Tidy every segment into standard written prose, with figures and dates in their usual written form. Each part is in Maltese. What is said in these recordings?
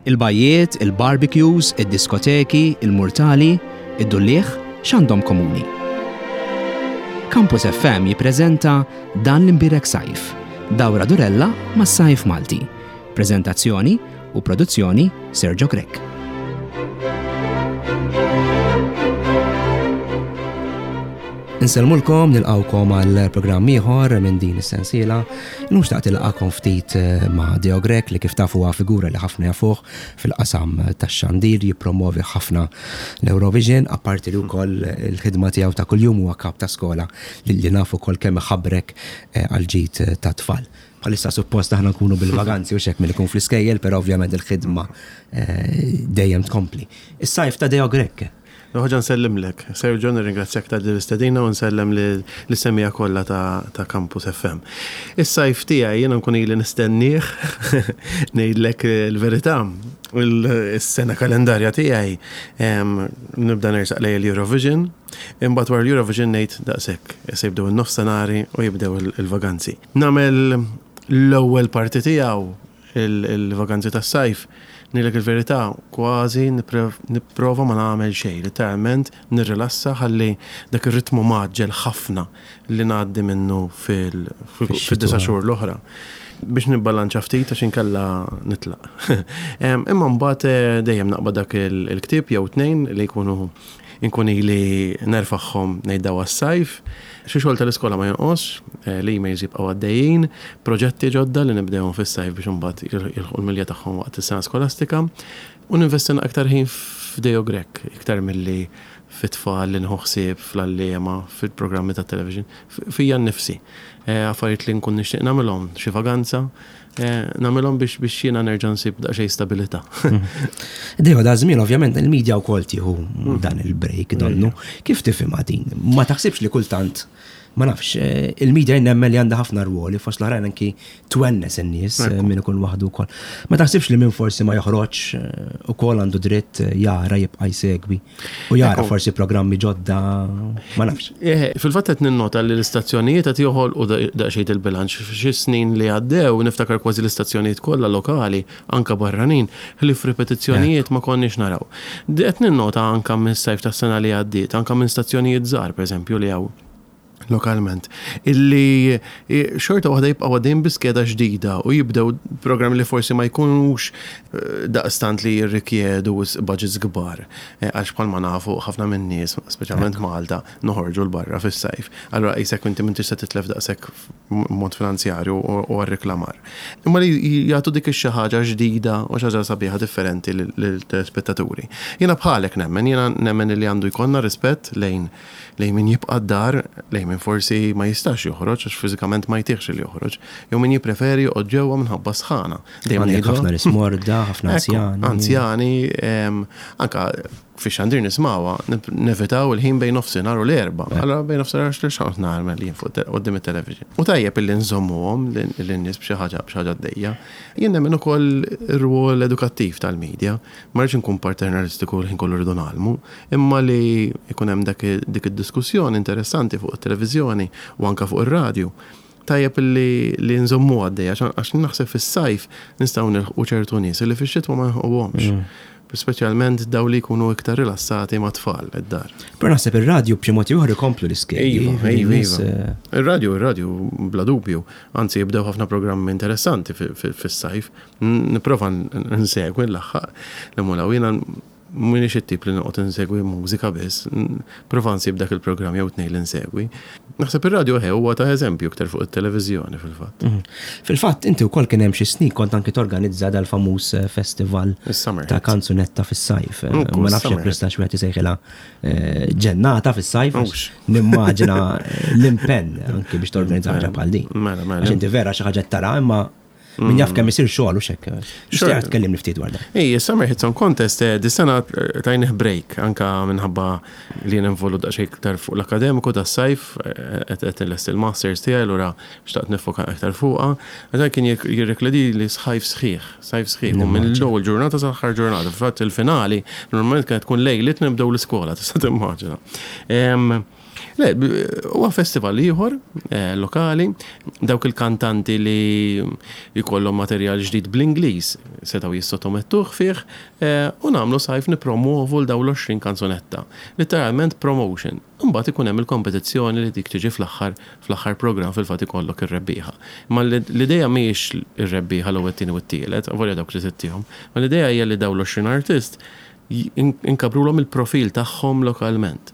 Il-bajjiet, il-barbecues, id-diskoteki, il-murtali, id-dulliegħ, x'għandhom komuni? Campus FM jippreżenta Dan l-Imbierek Sajf, dawra durella mas-sajf Malti. Preżentazzjoni u produzzjoni Sergio Grech. Insellmulkom, nilqawkom għal programm ieħor minn din is-sensiela. Illum xtaqt ilqakom ftit eh, ma' Deo Grech li kif tafu huwa figura li ħafna jafuh fil-qasam tax-xandir jippromovi ħafna l-Eurovision, apparti li wkoll il-ħidma tiegħu ta' kuljum huwa kap ta' skola li nafu wkoll kemm iħabrek eh, għal ġid ta' tfal. Bħalissa suppost aħna nkunu bil-vaganzi u xek mill ikun fl-iskejjel, però ovvjament il-ħidma eh, dejjem tkompli. Is-sajf ta' Deo Grech. Ħoġa nsellimlek. Sergio, nirringrazzjak ta' din l-istedina u nsellem lis-semmiegħa kollha ta' Campus FM. Is-sajf tiegħi jiena nkun ili nistennieh, ngħidlek il-verità, is-sena kalendarja tiegħi nibda nersaq lejn il-Eurovision, imbagħad wara l-Eurovision ngħid daqshekk, issa jibdew in-nofsinhari u jibdew il-vaganzi. Nagħmel l-ewwel parti tiegħu il-vaganzi tas-sajf, ngħidlek il-verità, kważi nipprova ma nagħmel xejn, litteralment nirrilassa ħalli dak ir-ritmu mgħaġġel ħafna li ngħaddi minnu fid-disa' xhur l-oħra biex nibbalanċa ftit għax inkella nitlaq. Imma mbagħad eh, dejjem naqbad dak il-ktieb jew tnejn li jkunu Inkun ili nerfagħhom ngħid daw għas-sajf. Xi xogħol tal-iskola ma jonqosx, l-emails jibqgħu għaddejjin, proġetti ġodda li nibdewhom fis-sajf biex imbagħad jilħqu l-milja tagħhom waqt is-sena skolastika. U ninvesti aktar ħin f'Deo Grech iktar milli fit-tfal li nieħu ħsieb, fl-għalliema, fil-programmi tat-television, fija nnifsi. Affarijiet li nkun nixtieq nagħmilhom, xi vaganza, nagħmilhom biex biex jiena nerġa' nsib daqsxejn stabilità. Dejjem da żmien ovvjament il-medja wkoll tieħu mm. dan il-break donnu. Kif tifhimha din? Ma taħsibx li kultant ma nafx, eh, il-medja nemmen li għandha ħafna rwoli fost l-oħrajn anki twennes in-nies eh, min ikun waħdu wkoll. Ma taħsibx li min forsi ma joħroġ eh, ukoll għandu dritt jara jibqa' jsegwi. U jara forsi programmi ġodda, ma nafx. Eh, fil-fatt qed ninnota li l-istazzjonijiet qed joħolqu daqsxejn il-bilanċ. Xi snin li għaddew niftakar kważi l-istazzjonijiet kollha lokali, anka barranin, ħlief ripetizzjonijiet ma konniex naraw. Qed ninnota anka mis-sajf tas-sena li għaddiet, anka minn stazzjonijiet żgħar pereżempju li hawn lokalment, illi xorta waħda jibqgħu għaddejjin bi skeda ġdida u jibdew programmi li forsi ma jkunux eh, daqstant li jirrikjedu budgets kbar. Eh, għax bħalma nafu ħafna minn nies, speċjalment Malta, noħorġu l barra fis-sajf. Allura qisek inti m'intix se titlef daqshekk mod finanzjarju u għar-reklamar. Imma li jagħtu dik ix-xi ħaġa ġdida u xi ħaġa sabiħa differenti lill-telespettaturi. Jiena bħalek nemmen, jiena nemmen li għandu jkollna rispett lejn lejn min jibqa' d-dar, lejn min forsi ma jistax joħroġ għax fiżikament ma jtihx li joħroġ, jew min jippreferi joqgħod ġewwa minħabba s-sħana. Dejjem Għandek ħafna nies morda, ħafna anzjani. Anzjani, anka fix-xandir nismawha, nevitaw il-ħin bejn nofsinhar u l-erbgħa. Allura bejn nofsinhar u x'noqgħod nagħmel jien fuq quddiem it-television. U tajjeb illi nżommuhom lin-nies b'xi ħaġa b'xi ħaġa għaddejja. Jien nemmen ukoll ir-rwol edukattiv tal-media. Ma rridx inkun paternalistiku l-ħin kollu rridu ngħallmu, imma li jkun hemm dak dik id-diskussjoni interessanti fuq it-televiżjoni u anke fuq ir-radju. Tajjeb li li nżommuha għaddejja għax naħseb fis-sajf nistgħu nilħqu ċertu nies li fix-xitwa ma nilħquhomx. Mm. Speċjalment daw li jkunu iktar rilassati ma' tfal id-dar. Però naħseb ir-radju b'xi mod ieħor ikomplu l-iskedi. Iva, iva, iva. Eh, ir-radju, ir-radju bla dubju. Anzi jibdew ħafna programmi interessanti fis-sajf. Nipprova nsegwi nlaħħaq l-mulaw. Jiena m'iniex it-tip li noqgħod insegwi mużika biss, prova nsib dak il-programm jew tnejn li nsegwi. Naħseb ir-radju eħe huwa ta' eżempju iktar fuq it-televiżjoni fil-fatt. Mhm. Fil-fatt inti wkoll kien hemm xi snin kont anki torganizza dal-famuż eh, festival ta' kanzunetta fis-sajf. Eh, ma nafx jekk nistax wieħed isejħilha eh, ġennata fis-sajf. Nimmaġina l-impenn anki biex torganizza ħaġa bħal din. Mela, mela. Għax inti vera xi ħaġa tara imma Min jaf kemm isir xogħol u xekk. Xtieq tkellimni ftit dwar dan. Ej, Summer Hit Song Contest eh, dis-sena eh, tajnih break anka minħabba li jien involut daqsxejn iktar fuq l-akademiku tas-sajf eh, qed qed inlesti l-masters tiegħi allura xtaqt nifoka iktar fuqha. Dan kien jirrikledi li sħajf sħiħ, sajf sħiħ, u minn l-ewwel ġurnata sal-aħħar ġurnata. Fil-fatt il-finali normalment kienet tkun lejliet nibdew l-iskola, tista' timmaġina. Le, huwa festival ieħor eh, lokali, dawk il-kantanti li jkollhom materjal ġdid bl-Ingliż setgħu jissottomettuh fih eh, u nagħmlu sajf nippromovu l dawn l-20 kanzunetta. Literalment promotion. Imbagħad ikun hemm il-kompetizzjoni li dik tiġi fl-aħħar fl-aħħar programm fil-fatt ikollok ir-rebbieħa. Imma l-idea mhijiex ir-rebbieħa l-ewwel, it-tieni u t-tielet, avolja dawk li tittihom, imma l-idea hija li dawn l-20 artist inkabrulhom il-profil tagħhom lokalment.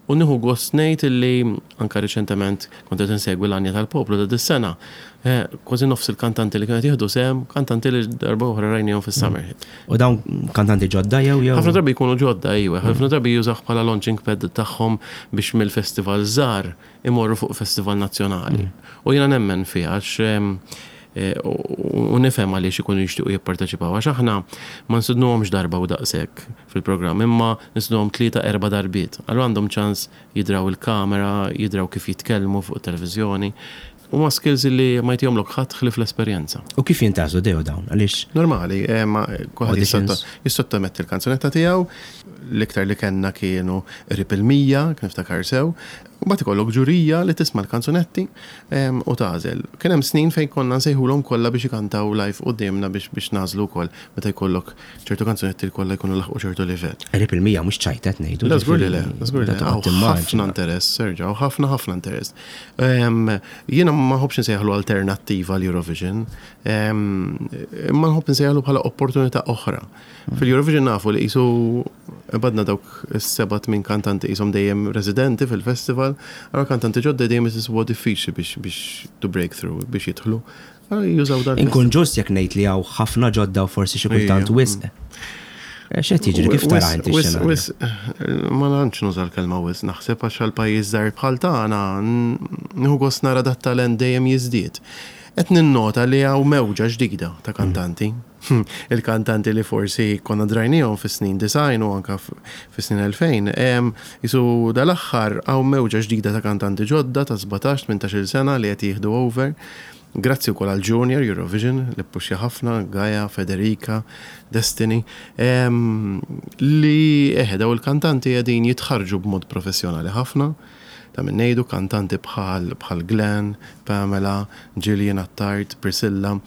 U nieħu gost ngħid illi anke riċentement kont qed insegwi l-Għanja tal-Poplu ta' dis-sena, kważi nofs il-kantanti li kienu qed jieħdu sehem, kantanti li darba oħra rajniehom fis-Summer Hit. U dawn kantanti ġodda jew jew? Ħafna drabi jkunu ġodda, iwa. Ħafna drabi jużawh bħala launching pad tagħhom biex mill-festival żgħar imorru fuq festival nazzjonali. U jiena nemmen fiha għax u nifhem għaliex ikunu jixtiequ jipparteċipaw għax aħna ma nsidnuhomx darba u daqshekk fil-programm imma nsidnuhom tlieta erba' darbiet. Allura għandhom ċans jidraw il-kamera, jidraw kif jitkellmu fuq it-televiżjoni. Huma skills li ma jtihomlok ħadd ħlief l-esperjenza. U kif jintgħażlu Deo dawn? Għaliex? Normali, kulħadd jissottometti l-kanzunetta tiegħu. L-iktar li kellna kienu qrib il-100, jekk niftakar sew. U mbagħad ikollok ġurija li tisma' l-kanzunetti u tagħżel. Kien hemm snin fejn konna nsejħulhom kollha biex ikantaw live quddiemna biex biex nagħżlu wkoll meta jkollok ċertu kanzunetti li kollha jkunu laħqu ċertu livell. Qrib il-100 mhux ċajta qed ngħidu. Le żgur li le, żgur li le. Hawn ħafna interess, Sergio, hawn ħafna ħafna interess. Jiena ma nħobbx insejjaħlu alternattiva l-Eurovision, imma nħobb insejjaħlu bħala opportunità oħra. Fil-Eurovision nafu li qisu badna dawk is-seba' tmien kantanti qishom dejjem residenti fil-festival, allura kantanti ġodda dejjem isibuha diffiċli biex biex to break through, biex jidħlu. Allura jużaw dan. Inkun ġust jekk ngħid li hawn ħafna ġodda u forsi xi kultant wisq. X'qed jiġri? Kif tara inti x-xena? Wisq, ma tantx nuża l-kelma wisq, naħseb għax għal pajjiż żgħir bħal tagħna nieħu gost nara dat-talent dejjem jiżdied. Qed ninnota li hawn mewġa ġdida ta' kantanti. Il-kantanti li forsi konna drajnihom fis-snin 90 u anke fis-snin 2000, qisu dal-aħħar hawn mewġa ġdida ta' kantanti ġodda ta' 17, 18-il sena li qed jieħdu over. Grazzi wkoll għal Junior Eurovision li ppuxja ħafna, Gaia, Federica, Destiny, li eħe dawn il-kantanti qegħdin jitħarrġu b'mod professjonali ħafna. Ta' min ngħidu kantanti bħal bħal Glenn, Pamela, Gillian Attard, Priscilla,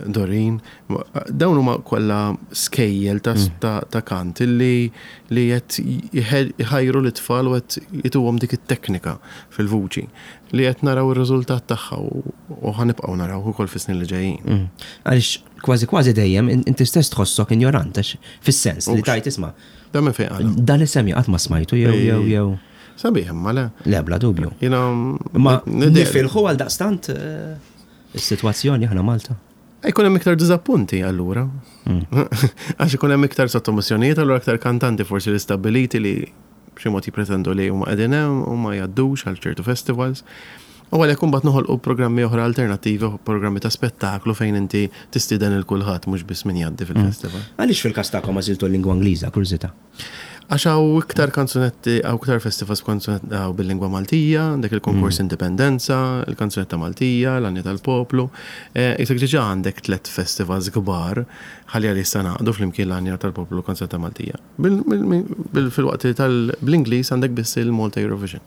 Doreen. Dawn huma kollha skejjel ta' ta' kant li li qed iħajru lit-tfal u qed jtuhom dik it-teknika fil-vuċi li qed naraw ir-riżultat tagħha u ħa nibqgħu narawh ukoll fis-snin li ġejjin. Għaliex kważi kważi dejjem inti stess tħossok injorant għax fis-sens li tgħid isma' Dan minn fejn qala? Dan l-isem qatt ma smajtu jew jew jew. Sabiħ imma le. Le bla dubju. Jiena Ma nifilħu għal daqstant eh, is-sitwazzjoni aħna Malta. Jkun hemm iktar diżappunti allura. Hmm. Għax ikun hemm iktar sottomissjonijiet allura iktar kantanti forsi li stabbiliti li b'xi mod jippretendu li huma qegħdin hemm u ma jgħaddux għal ċertu festivals. U għalhekk imbagħad noħolqu programmi oħra alternattivi, programmi ta' spettaklu fejn inti tistieden il kulħadd mhux biss min jgħaddi fil-festival. Għaliex fil-każ tagħkom għażiltu l-lingwa Ingliża, kurżità? Għax hawn iktar kanzunetti, hawn iktar festivals b'kanzunetti hawn bil-lingwa Maltija, għandek il-konkors Indipendenza, il-kanzunetta Maltija, l-Għanja tal-Poplu. Isek diġà għandek tlett festivals kbar, ħalli għalissa ngħaqdu flimkien l-Għanja tal-Poplu u l-Kanzunetta Maltija. Filwaqt li tal-bl-Ingliż għandek biss il-Malta Eurovision.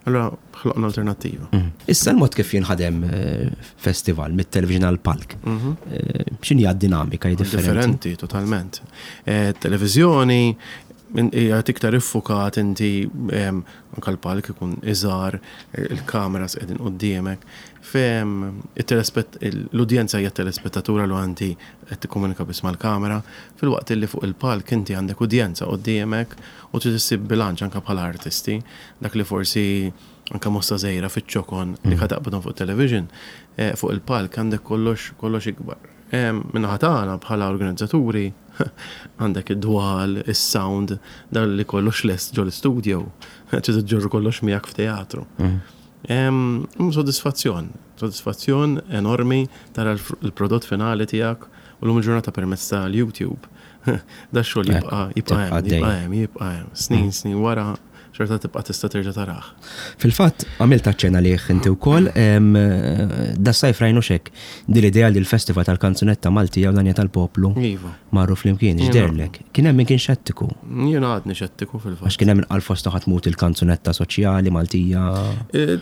Allura ħloqna alternattiva. Mm. Issa l-mod kif jinħadem eh, festival mit-television għal palk. Mhm. Eh, x'inhi dinamika differenti? Differenti totalment. Eh, televizjoni hija iktar iffukat inti anke l-palk ikun iżgħar, il-kameras qegħdin quddiemek. Fem l-udjenza hija telespettatura li inti qed tikkomunika biss mal-kamera, filwaqt li fuq il-palk inti għandek udjenza quddiemek u trid issib bilanċ anke bħala artisti. Dak li forsi anke mossa żgħira fiċ-ċokon li ħa taqbadhom fuq television, eh, fuq il-palk għandek kollox kollox ikbar. Min-naħa tagħna bħala organizzaturi għandek id-dwal, is-sound, dan li kollox lest ġol-istudio, trid iġġorru kollox miegħek f'teatru. Mm. Sodisfazzjon, sodisfazzjon enormi tara l-prodott finali tiegħek u l-lum il-ġurnata permezz tal-YouTube. Da xogħol jibqa' jibqa' hemm, jibqa' hemm, jibqa' hemm. Snin, mm. snin wara. xorta tibqa' tista' terġa' tarah. Fil-fatt, għamilt aċċenn għalih inti wkoll, das-sajf rajnu x'hekk, din l-idea li l-Festival tal-Kanzunetta Maltija u l-Għanja tal-Poplu iva. marru flimkien, x'deherlek? Kien hemm min kien xettiku. Jiena għadni xettiku fil-fatt. Għax kien hemm min qal fost ħa tmut il-kanzunetta soċjali Maltija. E,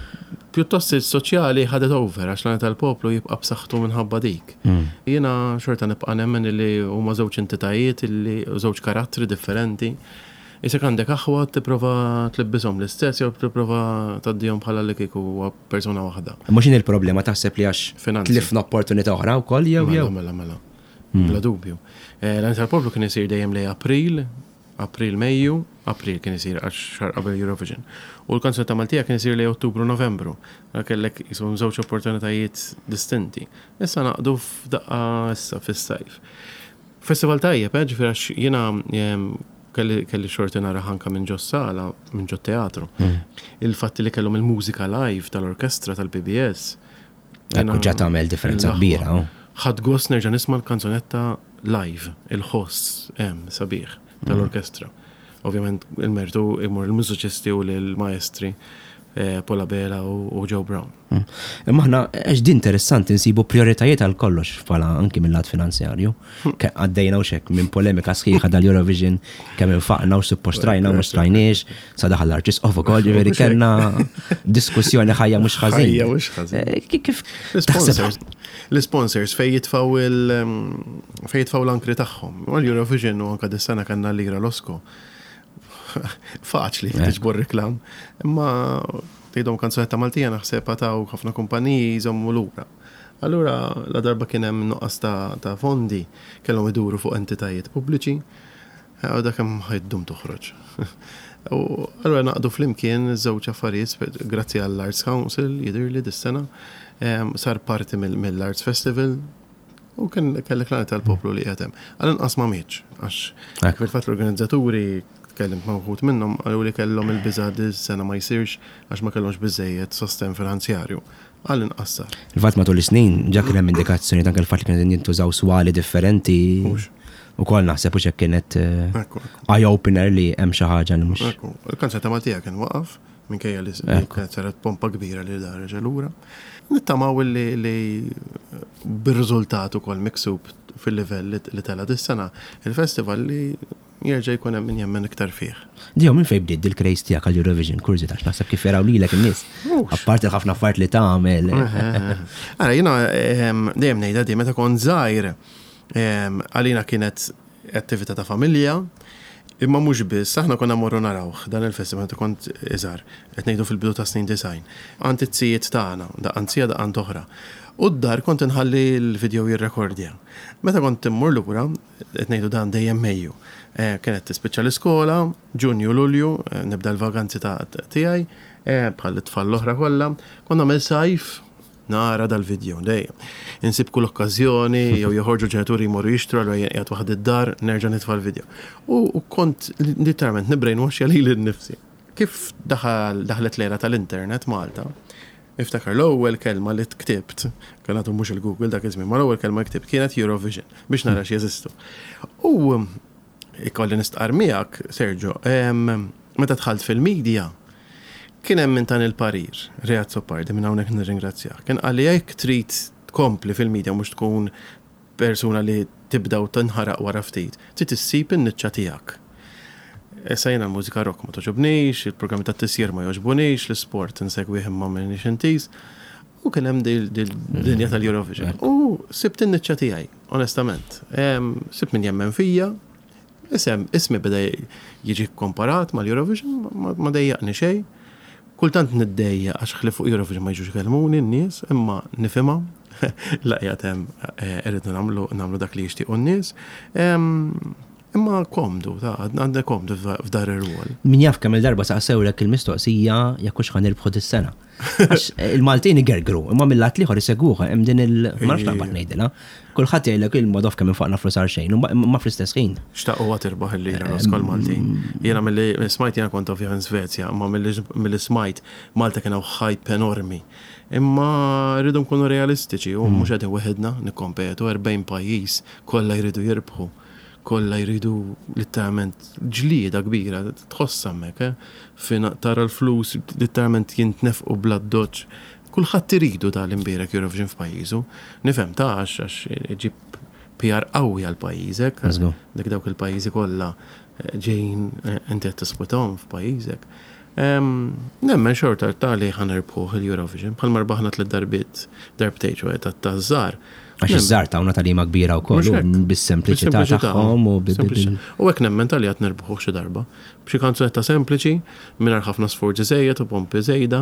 pjuttost il-soċjali ħadet over għax l-Għanja tal-Poplu jibqa' b'saħħtu minħabba dik. Jiena xorta nibqa' nemmen li huma żewġ entitajiet li żewġ karattri differenti. Isek għandek aħwa tipprova tlibbishom l-istess jew tipprova tgħaddihom bħala li kieku huwa persuna waħda. Imma x'inhi l-problema taħseb li għax tlifna opportunità oħra wkoll jew jew? Mela, mela, mela. Bla dubju. L-Għanja tal-Poplu kien isir dejjem lejn April, April, Mejju, April kien isir għax xahar qabel Eurovision. U l-Kanzunetta Maltija kien isir lejn Ottubru, Novembru. Allura kellek qishom żewġ opportunitajiet distinti. Issa ngħaqdu f'daqqa issa fis-sajf. Festival tajjeb, eh, ġifieri għax jiena kelli kelli xorti nara anka minn ġo sala, minn ġo teatru. Il-fatt li kellhom il-mużika live tal-orkestra tal-PBS. Ekku ġa tagħmel differenza kbira. Oh. Ħadd gost nerġa' nisma' l-kanzunetta live, il-ħoss hemm sabiħ tal-orkestra. Ovvjament il-mertu imur il-mużiċisti u l-maestri eh, Paul Abela u Joe Brown. Imma aħna għax din interessanti nsibu prioritajiet għal kollox bħala anki mill-lat finanzjarju. Għaddejna u xek minn polemika sħiħa dal-Eurovision kemm infaqna u suppost rajna u mhux rajniex, sa daħal l-Arċisqof ukoll ġifieri kellna diskussjoni ħajja mhux ħażin. Ħajja mhux ħażin. Eh, kif L-sponsors l-sponsors fej jitfaw il fej jitfaw l-ankri tagħhom. U l-Eurovision u anka dis-sena kellna lira Losco. Faċli tiġbor reklam. Imma tgħidhom kanzunetta Maltija naħseb għataw ħafna kumpaniji jżommu lura. Allura la darba kien hemm nuqqas ta' fondi kellhom iduru fuq entitajiet pubbliċi u dak hemm ħajdum toħroġ. U allura naqdu flimkien żewġ affarijiet grazzi għall-Arts Council jidhirli dis-sena sar parti mill-Arts Festival u kien kellek l-għana tal-poplu li qiegħed hemm. Għal-inqas ma mietx għax fil-fatt l-organizzaturi Tkellimt ma' wħud minnhom qalu li kellhom il-biża' li s-sena ma jsirx għax ma kellhomx biżżejjed sostenn finanzjarju. Għall-inqas sar. Fil-fatt matul is-snin ġa kien hemm indikazzjonijiet anke l-fatt li kienu qegħdin jintużaw swali differenti ukoll naħseb hux hekk kienet eye opener li hemm xi ħaġa li mhux. Ekku. Il-kanzunetta Maltija kien waqaf minkejja li kienet saret pompa kbira li dar reġa' lura. Nittamaw li bir-riżultat ukoll miksub fil-livell li tela' dis-sena il-festival li Jerġa' jkun hemm min jemmen iktar fih. Dio, minn fejn bdiet dil-craze tiegħek għall-Eurovision? Kurżità għax naħseb kif jaraw lilek in-nies. Apparti l-ħafna affarijiet li tagħmel. Ara, jiena dejjem ngħidha di meta kont żgħir għalina kienet attività ta' familja, imma mhux biss, aħna konna mmorru narawh dan il-festival meta kont iżgħar, qed ngħidu fil-bidu tas-snin 90, għand it-zijiet tagħna, daqqa għand zija daqqa għand oħra. U d-dar kont inħalli l-video jirrekordja. Meta kont immur lura, Qed ngħidu dan dejjem Mejju. Kienet tispiċċa l-iskola, Ġunju, Lulju, nibda l-vaganzi ta' tiegħi, bħal it-tfal l-oħra kollha. Kont nagħmel sajf nara dal-video dejjem. Insib kull okkażjoni jew joħorġu ġenituri jmorru jixtru allura jien qiegħed waħdi d-dar nerġa' nitfa' l-video. U kont literalment nibbrainwashja lili nnifsi. Kif daħal daħlet l-era tal-internet Malta, Niftakar l-ewwel kelma li ktibt, kien għadu mhux il-Google dak iż-żmien, ma l-ewwel kelma li ktibt kienet Eurovision biex nara x'jeżistu. U ikolli nistqarr miegħek, Sergio, meta dħalt fil-media, kien hemm min tani l-parir, Ray Azzopardi, minn hawnhekk nirringrazzjah. Kien qalli jekk trid tkompli fil-media mhux tkun persuna li tibda u tinħaraq wara ftit, trid issib in-niċċa tiegħek. Issa jiena l-mużika rock ma togħġobnix, il-programmi tat-tisjir ma jogħġbunix, l-isport insegwih imma m'iniex intiż. U kien hemm dil-dinja tal-Eurovision. U sibt in-niċċa tiegħi, onestament. Sibt min jemmen fija, isem ismi beda jiġi kkomparat mal-Eurovision, ma dejjaqni xejn. Kultant niddejjaq għax ħlief fuq Eurovision ma jiġux ikellmuni n-nies, imma nifhimha. La qiegħed hemm irridu nagħmlu nagħmlu dak li jixtiequ n-nies. Imma komdu, ta' għandna komdu f'dar ir-rwol. Min jaf kemm il-darba saqsewlek il-mistoqsija jekk hux ħa nirbħu dis-sena. Għax il-Maltin igergru, imma mill-lat l-ieħor isegwuha hemm din il ma nafx naqbad ngħidilha. Kulħadd jgħidlek il-mod kemm infaqna flus għal xejn, imma fl-istess ħin. Xtaqu għad tirbaħ il-lira l-iskol Maltin. Jiena milli smajt jiena kont ovvjament Svezja, imma milli smajt Malta kien hawn hype enormi. Imma rridu nkunu realistiċi u mhux qegħdin weħidna nikkompetu 40 pajjiż kollha jridu jirbħu. Kollha jridu litteralment ġlieda kbira, tħossha hemmhekk, eh? Fejn tara l-flus litteralment jintnefqu bl-addoċċ. Kulħadd iridu dan l-imbierek Eurovision f'pajjiżu. Nifhem ta' għax għax iġib PR qawwi għal pajjiżek. Dik dawk il-pajjiżi kollha ġejjin inti qed tisputahom f'pajjiżek. Nemmen xorta ta' li ħa nirbħuh il-Eurovision, bħalma rbaħna tliet darbiet, darbtejn ċoe taż-żgħar. Għax iż-żgħar tawna tagħlima kbira wkoll bis-sempliċità tagħhom u U hekk nemmen ta' li għad nirbħuh xi darba. B'xi kanzunetta sempliċi, mingħajr ħafna sforzi żejjed u pompi żejda,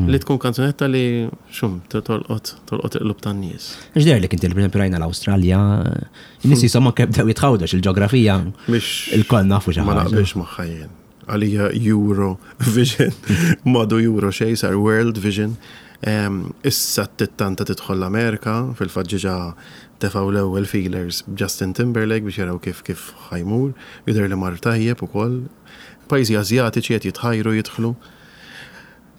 li tkun kanzunetta li xum tolqot tolqot il-qlub tan-nies. X'deherlek inti li pereżempju rajna l-Awstralja, in-nies qishom anke bdew jitħawdu għax il-ġeografija ilkoll nafu xi ħaġa. Ma naqbilx magħha jien. Għalija Euro Vision, m'għadu Euro xejn, sar World Vision. Issa t-tittanta tidħol l-Amerika, fil-fatt ġiġa tefgħu l-ewwel feelers b'Justin Timberlake biex jaraw kif kif ħa jmur. Jidher li mar tajjeb ukoll. Pajjiżi Asjatiċi qed jitħajru jidħlu.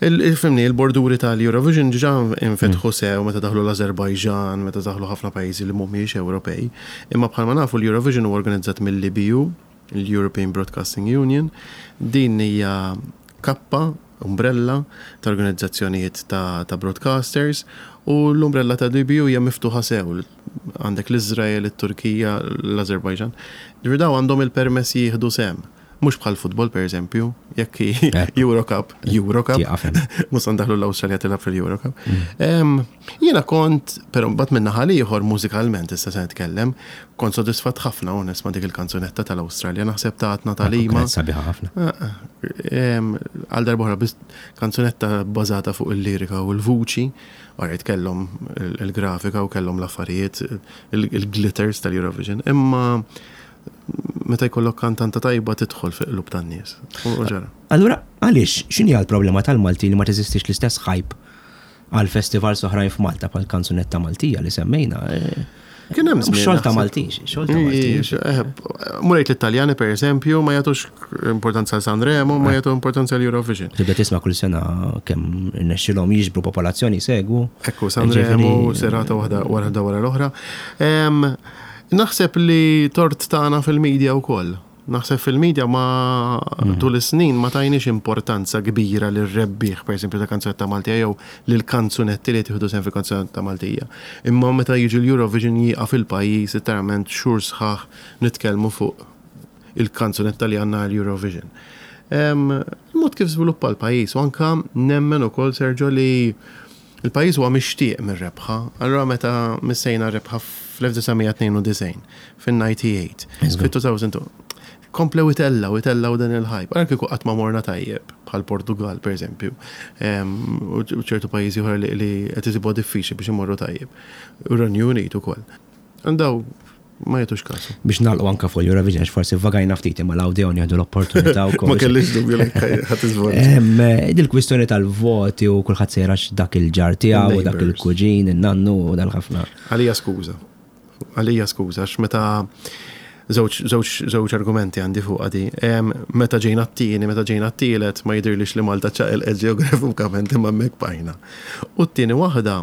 Fimni, il-borduri tal-Eurovision ġiġa infetħu sew meta daħlu l-Azerbajġan, meta daħlu ħafna pajjiżi li mhumiex Ewropej. Imma bħalma nafu l-Eurovision huwa organizzat mill-EBU, l-European Broadcasting Union. Din hija kappa, umbrella, ta' organizzazzjonijiet ta' broadcasters u l-umbrella ta' l-EBU hija miftuħa sew. Għandek l-Iżrael, it-Turkija, l-Azerbajġan. Ġifieri dawn għandhom il-permess jieħdu sehem. Mhux bħall-futbol pereżempju, jekk Euro Cup, Euro Cup. Mhux se ndaħlu l-Awstralja tilgħab fil-Euro Cup. Mm. Jiena kont, però mbagħad minn naħa ieħor mużikalment issa se nitkellem, kont sodisfatt ħafna onest ma' dik il-kanzunetta tal-Awstralja, naħseb tatna tagħlima. Sabiħa ħafna. Ah, ah. Għal darba biss kanzunetta bbażata fuq il-lirika u l-vuċi, Alright, kellhom il-grafika u kellhom l-affarijiet, il-glitters tal-Eurovision, imma meta jkollok kantanta tajba tidħol fil-qlub tan-nies. U ġara. Allura, għaliex, x'inhi l-problema tal-Malti li ma teżistix l-istess hype għal festivals oħrajn f'Malta bħal kanzunetta Maltija li semmejna? Eh, Kien hemm żmien. Xogħol ta' Maltin, xogħol ta' Maltin. Eh, Murejt l-Italjani per eżempju ma jagħtux importanza għal Sanremo, ma eh. jagħtu importanza għal Eurovision. Tibda tisma' kull sena kemm irnexxilhom jiġbru popolazzjoni segwu. Ekku Sanremo serata waħda wara wara l-oħra. Naħseb li tort tagħna fil-media wkoll. Naħseb fil-media ma tul is-snin ma tajniex importanza kbira lir-rebbieħ pereżempju ta' kanzunetta Maltija jew lill-kanzunetti li qed jieħdu sehem fil-kanzunetta Maltija. Imma meta jiġi l-Eurovision jieqaf il-pajjiż litteralment xhur sħaħ nitkellmu fuq il-kanzunetta li għandna għall-Eurovision. Il-mod kif żviluppa l-pajjiż u anke nemmen ukoll Sergio li Il-pajjiż huwa mixtieq mir-rebħa. Allura meta missejna r-rebħa fl-1992, fin-98, fit-2002, komplew itellgħu, itellgħu dan il-hype. Ara kieku qatt ma morna tajjeb, bħal Portugal pereżempju, u ċertu pajjiżi oħra li qed isibuha diffiċli biex imorru tajjeb. U r-Renju Unit ukoll. Daw ma jagħtux kasu. Biex nagħlqu anke fuq l-Eurovision għax forsi vagajna ftit imma l-Awdeon jieħdu l-opportunità wkoll. Ma kellix dubju li ħadd iżvolġi. Dil-kwistjoni tal-voti u kulħadd sejra dak il-ġar tiegħu u dak il-kuġin, in-nannu u dal-ħafna. Għalija skuża. Għalija skuża għax meta żewġ argumenti għandi fuq għadi. Meta ġejna t-tieni, meta ġejna t-tielet, ma jidhirlix li Malta ċaqilqet ġeografikament imma hemmhekk bqajna. U t-tieni waħda,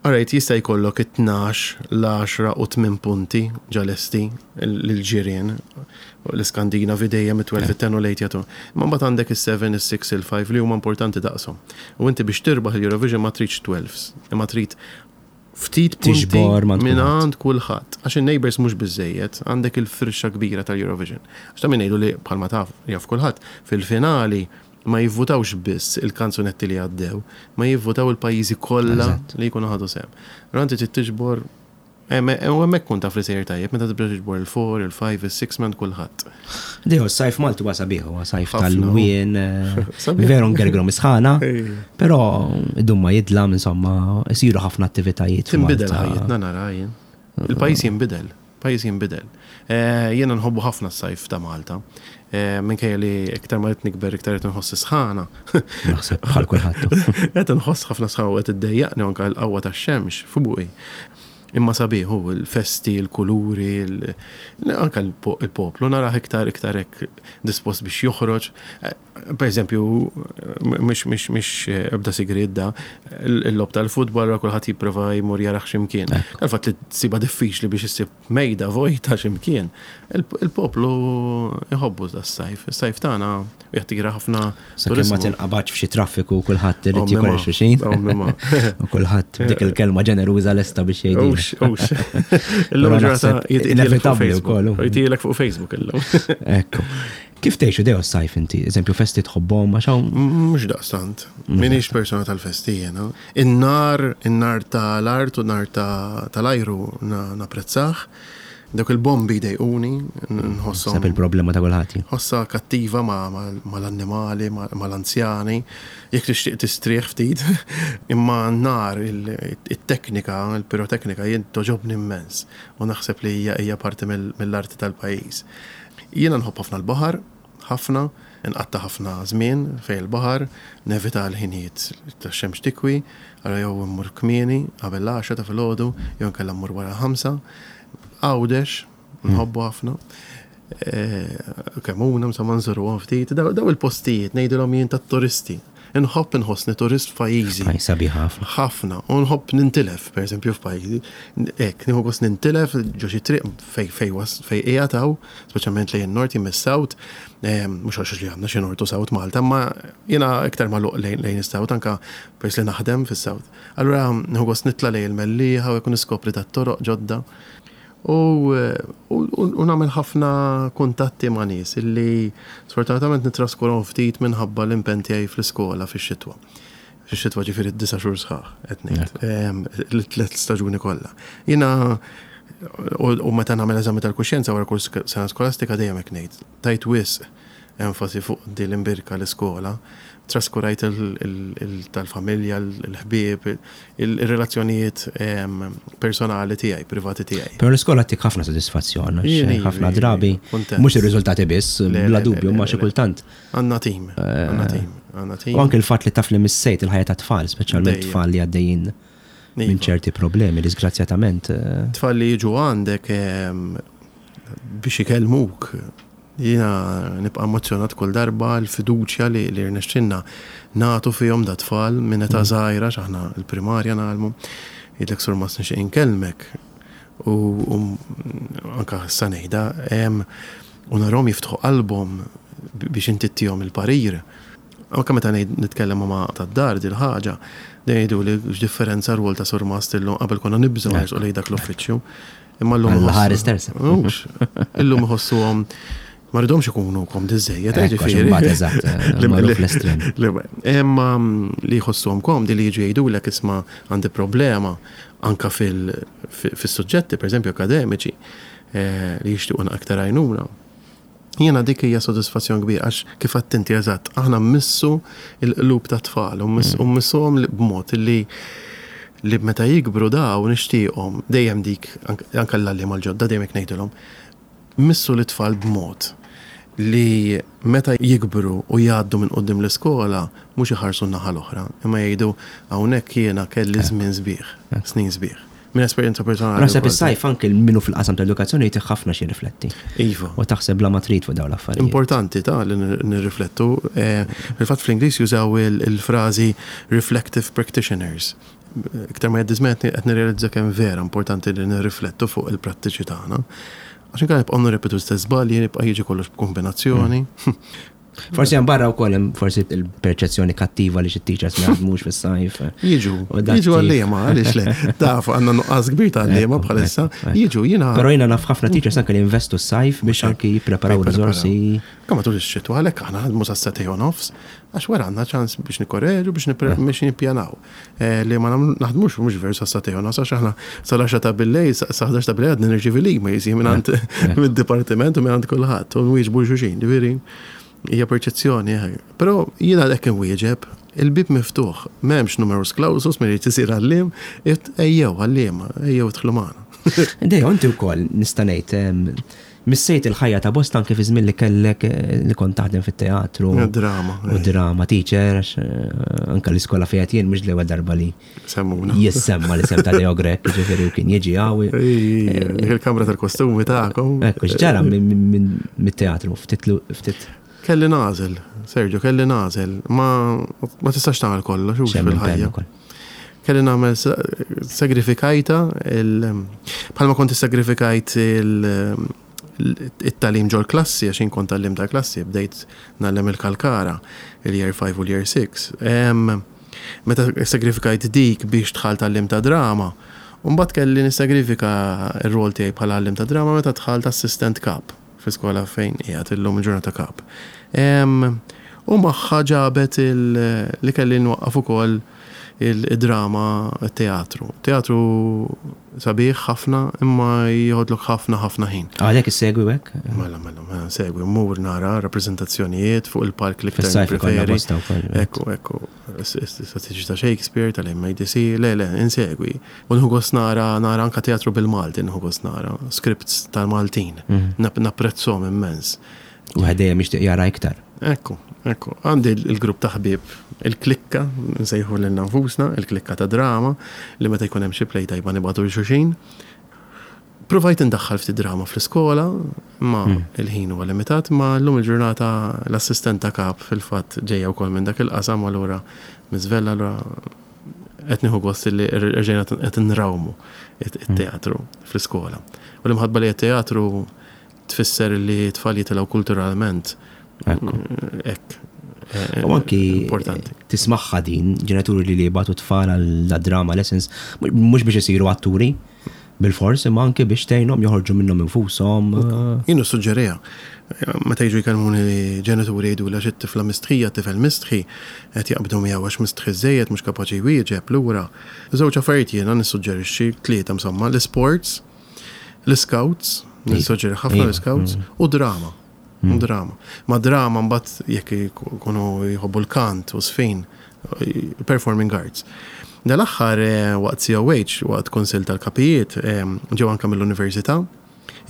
Alright, jista' jkollok it-tnax, l-għaxra u tmien punti ġa lesti lill-ġirien, l-Iskandinavi dejjem it-twelve, it-ten u l-eight jagħtu. Imma mbagħad għandek is-seven, is-six, il-five li huma importanti daqshom. U inti biex tirbaħ il-Eurovision ma tridx twelves, imma trid ftit punti mingħand kulħadd. Għax in-neighbours mhux biżżejjed, għandek il-firxa kbira tal-Eurovision. Għax ta' min ngħidu li bħalma taf, jaf kulħadd, fil-finali ma jivvutawx biss il-kanzunetti li għaddew, ma jivvutaw il-pajjiżi kollha li jkunu ħadu sehem. Allura inti trid tiġbor u hemmhekk kun taf li sejjer tajjeb meta tibda tiġbor il-four, il-five, is-six minn kulħadd. Dejjem is-sajf Malti huwa sabiħ, huwa sajf tal-lwien, veru ngergru misħana, però idum ma jidlam insomma, isiru ħafna attivitajiet. Tinbidel ħajjitna nara jien. Il-pajjiż jinbidel. Pajjiż jinbidel. Jiena nħobbu ħafna s-sajf ta' Malta. Minkejja li iktar ma qed nikber iktar qed inħoss is-sħana. Naħseb bħal kulħadd. Qed inħoss ħafna sħana u qed iddejjaqni anke l-qawwa tax-xemx fuqi. Imma sabiħ hu, il-festi, il-kuluri, anke l-poplu narah iktar iktar hekk dispost biex joħroġ. Per eżempju, mhux mhux mhux ebda sigriet da, il-logħob tal-futbol ra kulħadd jipprova jmur jarah x'imkien. Għall-fatt li tsibha diffiċli biex issib mejda vojta x'imkien. Il-poplu jħobbu das-sajf. Is-sajf tagħna jattira ħafna. Sakemm ma tinqabadx f'xi traffiku kulħadd irid jikol xulxin. U kulħadd dik il-kelma ġeneruża lesta biex jgħidu. Ux, ux. Illum ġurnata inevitabbli wkoll. Jgħidilek fuq Facebook illum. Ekku. Kif tgħixu dejjem s-sajf inti? Eżempju, festi tħobbhom għax hawn. Mhux daqstant. Minix persona tal-festi jiena. In-nar, in-nar tal-art u nar tal-ajru napprezzah. Dawk il-bombi jdejquni, nħosshom. Sab il-problema ta' kulħadd. Ħossha kattiva mal-annimali, mal-anzjani, jekk tixtieq tistrieħ ftit. Imma n-nar, it-teknika, il-piroteknika jien togħġobni immens u naħseb li hija parti mill-arti tal-pajjiż. Jiena nħobb ħafna l-baħar, ħafna, inqatta' ħafna żmien fejn il-baħar, nevita l-ħinijiet tax-xemx tikwi, allura jew immur kmieni qabel l-għaxra ta' filgħodu jew inkella mmur wara l-ħamsa. Għawdex, nħobbu ħafna. Kemmuna, insomma nżuruhom ftit. Daw il-postijiet ngħidilhom jien tat-turisti. Inħobb inħossni turist f'pajjiżi. Pajjiż sabiħ ħafna. Ħafna. U nħobb nintilef, per eżempju, f'pajjiżi. Hekk, nieħu gost nintilef ġo xi triq fej fej fej qiegħed hawn, speċjalment lejn in-nord jien mis-south, mhux għax li għandna xi nord u south Malta, imma jiena iktar magħluq lejn is-south anke peress li naħdem fis-south. Allura nieħu gost nitla' lejn il-Mellieħa u jkun niskopri dat-toroq ġodda. U nagħmel ħafna kuntatti ma' nies illi sfortunatament nittraskurahom ftit minħabba l-impenn tiegħi fl-iskola fix-xitwa. Fix-xitwa ġifieri d-disa' xhur sħaħ qed ngħid. It-tliet staġuni kollha. Jiena u meta nagħmel eżami tal-kuxjenza wara kull sena skolastika dejjem hekk ngħid. Tajt wisq enfasi fuq din l-imbierka l-iskola, traskurajt tal-familja, l-ħbieb, il-relazzjonijiet personali tiegħi, privati tiegħi. Però l-iskola ttik ħafna sodisfazzjon, għax ħafna drabi, mhux ir-riżultati biss, bla dubju, ma xi kultant. Għandna tim, għandna tim, għandna tim. U anke l-fatt li taf li missejt il-ħajja tat-tfal, speċjalment tfal li għaddejjin minn ċerti problemi, disgrazzjatament. Tfal li jiġu għandek biex ikellmuk Jiena nibqa' emozzjonat kull darba l-fiduċja li li rnexxilna nagħtu fihom dat-tfal minn età żgħira għax aħna l-primarja ngħallmu. Jgħidlek Sur Mas nixtieq inkellmek u anke issa ngħidha u narahom jiftħu qalbhom biex inti ttihom il-parir. Anke meta ngħid nitkellem ma' tad-dar dil-ħaġa, dejjem jgħiduli x'differenza r-rwol ta' surmast illum qabel konna nibżgħu nersqu lejn dak l-uffiċċju. Imma llum. Alla ħares tersa. Mhux. Illum iħossuhom ma rridhomx ikunu komdi żejjed, eh, ġifieri. Eżatt, eh, Imma mm, li jħossuhom komdi li jiġu jgħidulek isma' għandi problema anka fil-suġġetti, pereżempju akademiċi, eh, li jixtiequ aktar għajnuna. Jiena dik hija sodisfazzjon kbir għax kif għedt inti eżatt, aħna mmissu l-qlub tat-tfal u mmissuhom b'mod li li meta jikbru daw nixtieqhom dejjem dik anke l-għalliema l-ġodda dejjem hekk ngħidilhom, missu lit-tfal b'mod li meta jikbru u jgħaddu minn quddiem l-iskola mhux iħarsu n-naħa l-oħra, imma jgħidu hawnhekk jiena kelli żmien sbieħ, snin sbieħ. Minn esperjenza personali. Naħseb is-sajf anke minnu fil-qasam ta' edukazzjoni jtih ħafna xi rifletti. Iva. U taħseb bla ma trid fuq dawn l-affarijiet. Importanti ta' li nirriflettu. Eh, fil-fatt fl-Ingliż jużaw il-frażi reflective practitioners. Iktar ma jgħaddi żmien qed nirrealizza kemm vera importanti li nirriflettu fuq il-prattiċi tagħna. Għax inkella nibqgħu nirrepetu l-istess żbalji, jibqa' jiġi kollox b'kombinazzjoni. Mm. Forsi hemm barra wkoll hemm forsi il-perċezzjoni kattiva li xi teachers ma jaħdmux fis-sajf. Jiġu, jiġu għalliema, għaliex le. Taf għandna nuqqas kbir ta' għalliema bħalissa. Jiġu jiena. Però jiena naf ħafna teachers anke li investu s-sajf biex anke jippreparaw riżorsi. Kemm matul ix-xitwa għalhekk aħna ħadmu sa setej u nofs, għax wara għandna ċans biex nikkoreġu biex nippjanaw. Eh, li ma naħdmux mhux veru sa satej u nofs għax aħna sal-10 ta' billejl, sa 11 ta' billejl għadni nirċievi l-emails mingħand mid-dipartiment u mingħand kulħadd u nwieġbu xulxin, ġifieri hija perċezzjoni. Eh. Però jiena hekk inwieġeb, il-bib miftuħ, m'hemmx numerus clausus min irid isir għalliem, ejjew għalliema, ejjew idħlu magħna. Dejjem inti wkoll nista' ngħid. Missejt il-ħajja ta' bosta anke fi żmien li kellek eh, li kont taħdem fit-teatru. Drama. U eh. drama teacher, għax eh, anke l-iskola fejn jien mhux l-ewwel darba li Semmuna. Jissemma li sem ta' Deo Grek, ġifieri u kien jiġi għawi. Il-kamra tal-kostumi tagħkom. Ekku, x'ġara mit-teatru, ftit ftit. Kelli nagħżel, Sergio, kelli nagħżel. Ma ma tistax tagħmel kollox hux fil-ħajja. Kelli nagħmel sagrifikajta il bħalma kont sagrifikajt il it-tagħlim ġol klassi għax kont għallim ta' klassi bdejt nagħllem il-Kalkara il-year 5 u l-year 6. Meta sagrifikajt dik biex dħalt għallim ta' drama, mbagħad kelli nissagrifika r-rol tiegħi bħala għallim ta' drama meta dħalt assistent kap fi skola fejn qiegħed illum il-ġurnata kap. U magħha ġabet li kelli nwaqqaf ukoll il-drama, teatru. Teatru sabiħ ħafna, imma jieħodlok ħafna ħafna ħin. Għalhekk issegwi hekk? Mela, mela, mela, segwi, mmur nara rappreżentazzjonijiet fuq il-palk li ktar preferi. Ekku, ekku, statiċi ta' Shakespeare, tal-MADC, le, le, insegwi. U nħu gost nara, nara anka teatru bil-Malti, nħu gost nara, scripts tal-Maltin, mhm. napprezzhom immens. U ħedejja mixtieq jara iktar. Ekku, ekku. Għandi il-grupp ta' ħbieb, il-klikka, nsejħu lil nfusna, il-klikka ta' drama, li meta jkun hemm xi play tajba nibgħatu lil xulxin. Provajt indaħħal ftit drama fl-iskola, ma hmm. il-ħin huwa limitat, ma llum il-ġurnata l-assistent ta' kap fil-fatt ġejja wkoll minn dak il-qasam allura miżvella allura qed nieħu gost li rġejna qed nrawmu it-teatru fl-iskola. U l-imħabba li t-teatru Tfisser li t-tfal jitilgħu kulturalment. Hekk. Eh, U anki importanti. Tismaħħa din, ġenituri li li jibgħatu tfal għal drama lessons, mhux biex isiru atturi bil-fors, imma anki biex tgħinhom joħorġu minnhom infushom. Jien suġġerija. Meta jiġu jkellmuni ġenituri jgħidu għax it-tifla mistħija, tifel mistħi, qed jaqbdu miegħu għax mistħi żejjed mhux kapaċi jwieġeb lura. Żewġ affarijiet jiena nissuġġerixxi, tlieta insomma, l-isports, L-scouts, nissoġġeri ħafna l-scouts, mm. u drama. Mm. Drama. Ma drama mbagħad jekk ikunu jħobbu l-kant u sfin, performing arts. Dal-aħħar eh, waqt COH, waqt Kunsill tal-Kapijiet, eh, ġew anke mill-Università,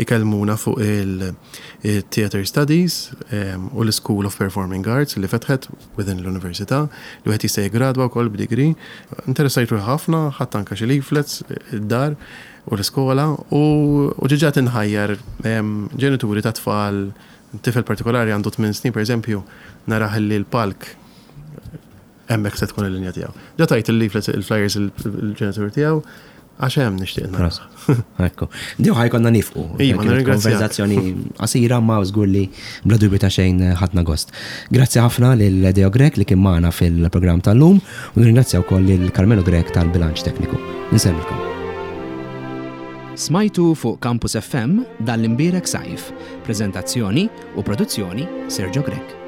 ikellmuna fuq il-Theater Studies eh, u l-School of Performing Arts li fetħet within l-Università, li wieħed jista' jigradwa wkoll b'degree. Interessajt ruħi ħafna, ħadd anke xi leaflets id-dar u l-iskola u ġiġa tinħajjar ġenituri ta' tfal, tifel partikolari għandu 8 snin pereżempju, narah li l-palk hemmhekk se tkun il-linja tiegħu. Ġa tajt il-leaflets, il-flyers il-ġenituri tiegħu, għax hemm nixtieq nara. Ekku. Diju ħajkonna nifqu. Iva, konverzazzjoni qasira ma żgur li bla dubju ta' xejn ħadna gost. Grazzi ħafna lil Deo Grech li kien magħna fil-programm tal-lum u nirringrazzja wkoll lil Carmelo Grech tal-bilanċ tekniku. Insellmilkom. Smajtu fuq Campus FM dan l-imbierek sajf. Preżentazzjoni u produzzjoni Sergio Grech.